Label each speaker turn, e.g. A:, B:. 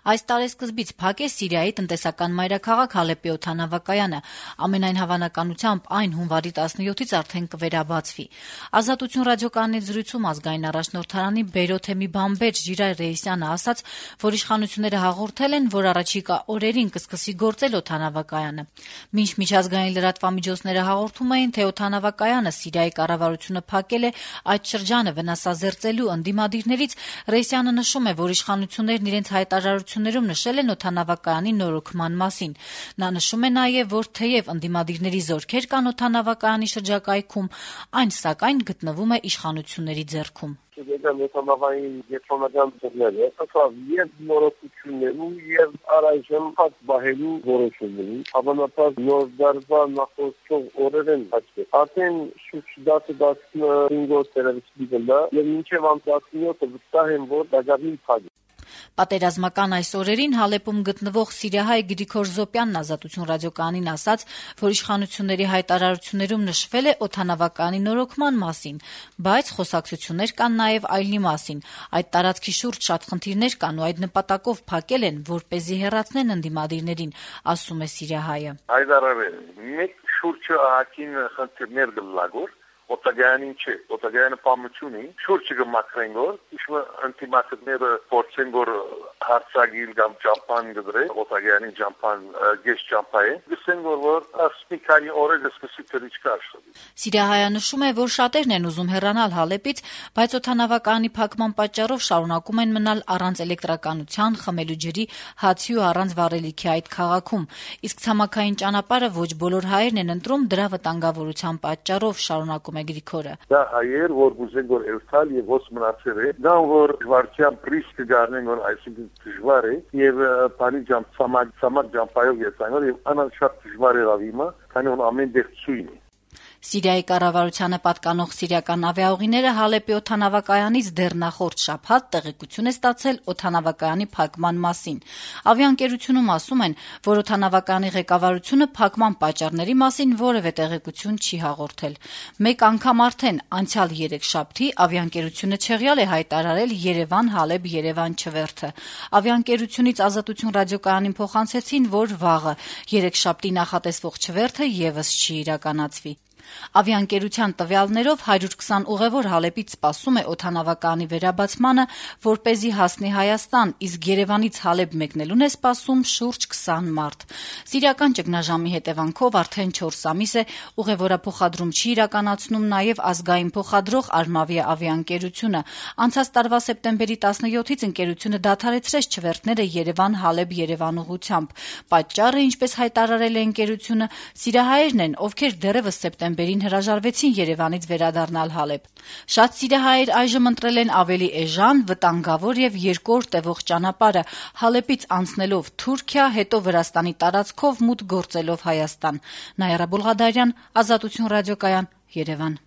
A: Այս տարեսկզբից փակ է Սիրիայի տնտեսական մայրաքաղաք Հալեպի օդանավակայանը, ամենայն հավանականությամբ այն հունվարի 17-ից արդեն կվերաբացվի։ Ազատություն ռադիոկայանի զրույցում ազգային առաջնորդարանի Բեյրութ բամբեր Ժիրայր Ռեյիսյանը ասաց, որ իշխանությունները հաղորդել են, որ առաջիկա օրերին կսկսի գործել օդանավակայանը։ Մինչ միջազգային լրատվամիջոցները հաղորդում էին, թե օդանավակայանը Սիրիայի կառավարությունը փակել է, այդ շրջանը վնասազերծելու ընդդիմադիրներից, Ռեյիսյանը նշում է, որ իշխանություններն իրենց հայտարարություններում նշել են օդանավակայանի նորոգման մասին։ Նա նշում է նաև, որ թեև ընդդիմադիրների զորքեր կան օդանավակայանի շրջակայքում, այն սակայն գտնվում է իշխանությունների ձեռքում։
B: Օդանավային գետրոնական ծրները, եւ նորոգություններու եւ առայժմ փակ բահելու որոշումների, հավանաբար նոր դարվա նախորդող օրերեն հաշվի։ Արդեն շուրջ 10-15 օրերից դիվելա եւ մինչեւ 17-ը վստահ եմ, որ դժվարին փակ։
A: Պատերազմական այս օրերին Հալեպում գտնվող սիրիահայ Գրիգոր Զոպյանն Ազատություն ռադիոկայանին ասաց, որ իշխանությունների հայտարարություններում նշվել է օդանավակայանի նորոգման մասին, բայց խոսակցություններ կան նաև այլնի մասին։ Այդ տարածքի շուրջ շատ խնդիրներ կան ու այդ նպատակով փակել են, որպեսզի հեռացնեն ընդդիմադիրներին, ասում է սիրիահայը։
B: Հայտարարել մեկ շուրջը ահագին խնդիրներ գլագոր օտագայանին չէ, օտագայանը պամություն է, շուրջը գմակրեն գոր, իշմը ընտիմատները փորձեն գոր հարցագիլ կամ ճամփան գդրե, օտագայանին ճամփան, գեշ ճամփա է, գսեն որ ասպիկանի օրերը սկսի թրիչ կաշտի։
A: Սիրիահայը նշում է, որ շատերն են ուզում հեռանալ Հալեպից, բայց օդանավակայանի փակման պատճառով շարունակում են մնալ առանց էլեկտրականության, խմելու ջրի, հացի ու առանց վառելիքի այդ քաղաքում։ Իսկ ցամաքային ճանապարհը ոչ բոլոր հայերն են ընտրում դրա վտանգավորության պատճառով, շարունակում է Գրիգորը։
B: Դա հայեր, որ ուզեն որ երթալ եւ ոս մնացել է, դա որ վարչյան ռիսկ գարնեն որ այսինքն դժվար է եւ բանի ջամ ցամաք ջամփայով եսանոր եւ անշարժ դժվար է ավիմա, քանի որ ամեն դեպք ցույն է։
A: Սիրիայի կառավարությանը պատկանող սիրիական ավիաուղիները Հալեպի օդանավակայանից դեռ նախորդ շաբաթ տեղեկություն է ստացել օդանավակայանի փակման մասին։ Ավիաընկերությունում ասում են, որ օդանավակայանի ղեկավարությունը փակման պատճառների մասին որևէ տեղեկություն չի հաղորդել։ Մեկ անգամ արդեն անցյալ 3 շաբթի ավիաընկերությունը չեղյալ է հայտարարել Երևան-Հալեբ-Երևան չվերթը։ Ավիաընկերությունից Ազատություն ռադիոկայանին փոխանցեցին, որ վաղը 3 շաբթի նախատեսվող չվերթը եւս չի իրականացվի։ Ավիաընկերության տվյալներով 120 ուղևոր Հալեպից սպասում է օդանավակայանի վերաբացմանը, որպեսզի հասնի Հայաստան, իսկ Երևանից Հալեբ մեկնելուն է սպասում շուրջ 20 մարդ։ Սիրիական ճգնաժամի հետևանքով արդեն 4 ամիս է ուղևորափոխադրում չի իրականացնում նաև ազգային փոխադրող Արմավիա ավիաընկերությունը։ Անցած տարվա սեպտեմբերի 17-ից ընկերությունը դադարեցրեց չվերթները Երևան-Հալեբ-Երևան ուղղությամբ։ Պատճառը, ինչպես հայտարարել է ընկերությունը, սիրիահայերն են, ովքեր դեռևս սեպտեմբերին հրաժարվեցին Երևանից վերադառնալ Հալեբ։ Շատ սիրիահայեր այժմ ընտրել են ավելի էժան, վտանգավոր եւ 2 օր տևող ճանապարհը Հալեպից անցնելով Թուրքիա, հետո Վրաստանի տարածքով մուտք գործելով Հայաստան։ Նայրա Բուլղադարյան, Ազատություն ռադիոկայան, Երևան։